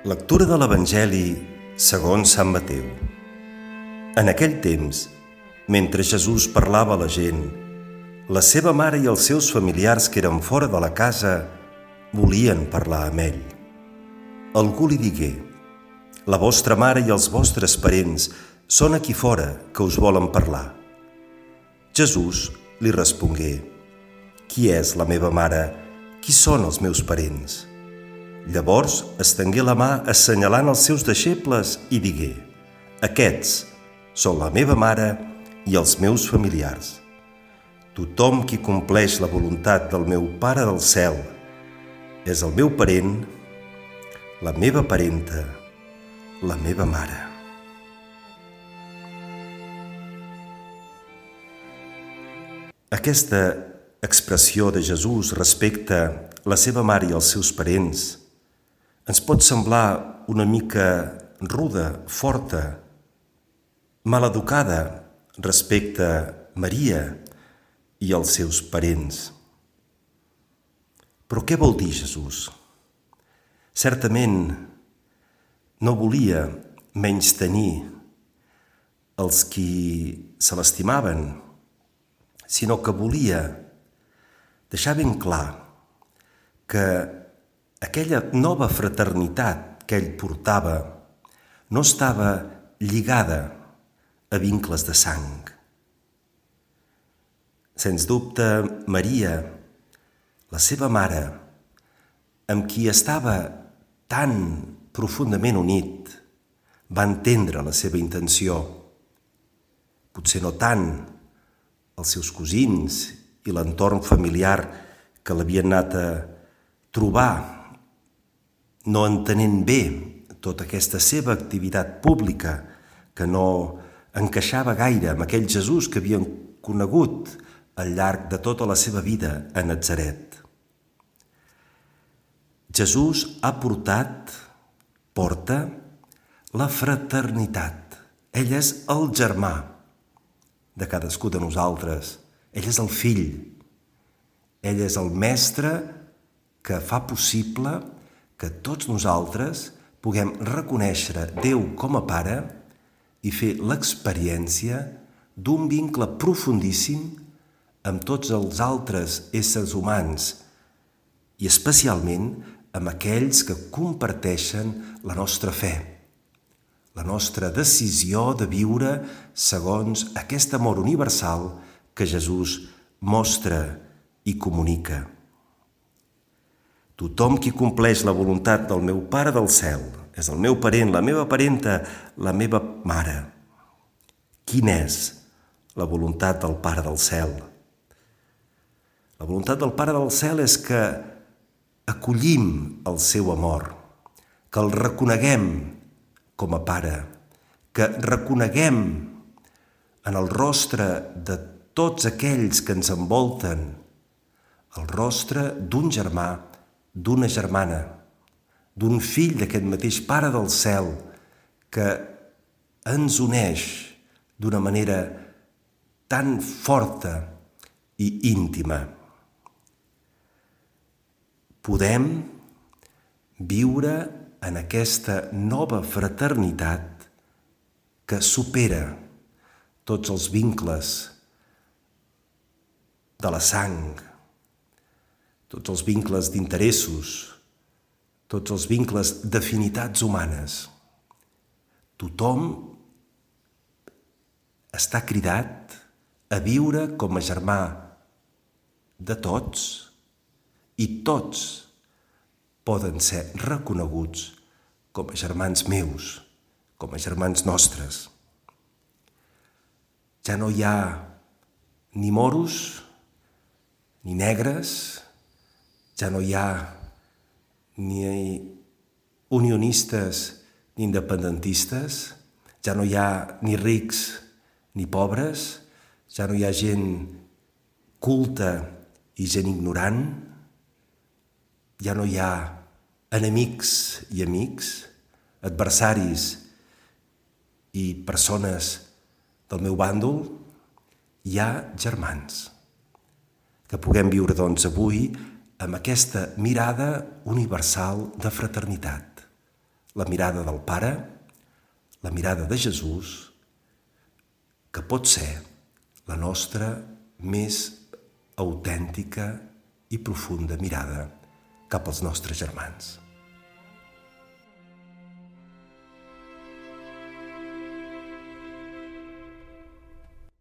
Lectura de l'Evangeli segons Sant Mateu. En aquell temps, mentre Jesús parlava a la gent, la seva mare i els seus familiars que eren fora de la casa volien parlar amb ell. Algú li digué: «La vostra mare i els vostres parents són aquí fora que us volen parlar». Jesús li respongué: «Qui és la meva mare? Qui són els meus parents?» Llavors estengué la mà assenyalant els seus deixebles i digué: «Aquests són la meva mare i els meus familiars. Tothom qui compleix la voluntat del meu Pare del cel és el meu parent, la meva parenta, la meva mare». Aquesta expressió de Jesús respecte a la seva mare i els seus parents ens pot semblar una mica ruda, forta, maleducada respecte a Maria i els seus parents. Però què vol dir Jesús? Certament no volia menystenir els qui se l'estimaven, sinó que volia deixar ben clar que aquella nova fraternitat que ell portava no estava lligada a vincles de sang. Sens dubte, Maria, la seva mare, amb qui estava tan profundament unit, va entendre la seva intenció. Potser no tant els seus cosins i l'entorn familiar que l'havien anat a trobar, no entenent bé tota aquesta seva activitat pública que no encaixava gaire amb aquell Jesús que havien conegut al llarg de tota la seva vida a Natzaret. Jesús porta la fraternitat. Ell és el germà de cadascú de nosaltres. Ell és el fill. Ell és el mestre que fa possible que tots nosaltres puguem reconèixer Déu com a Pare i fer l'experiència d'un vincle profundíssim amb tots els altres éssers humans i especialment amb aquells que comparteixen la nostra fe, la nostra decisió de viure segons aquest amor universal que Jesús mostra i comunica. Tothom qui compleix la voluntat del meu Pare del cel és el meu parent, la meva parenta, la meva mare. Quina és la voluntat del Pare del cel? La voluntat del Pare del cel és que acollim el seu amor, que el reconeguem com a Pare, que reconeguem en el rostre de tots aquells que ens envolten el rostre d'un germà, d'una germana, d'un fill d'aquest mateix Pare del cel que ens uneix d'una manera tan forta i íntima. Podem viure en aquesta nova fraternitat que supera tots els vincles de la sang, tots els vincles d'interessos, tots els vincles d'afinitats humanes. Tothom està cridat a viure com a germà de tots i tots poden ser reconeguts com a germans meus, com a germans nostres. Ja no hi ha ni moros, ni negres, ja no hi ha ni unionistes ni independentistes, ja no hi ha ni rics ni pobres, ja no hi ha gent culta i gent ignorant, ja no hi ha enemics i amics, adversaris i persones del meu bàndol. Hi ha germans. Que puguem viure, doncs, avui amb aquesta mirada universal de fraternitat. la mirada del Pare, la mirada de Jesús, que pot ser la nostra més autèntica i profunda mirada cap als nostres germans.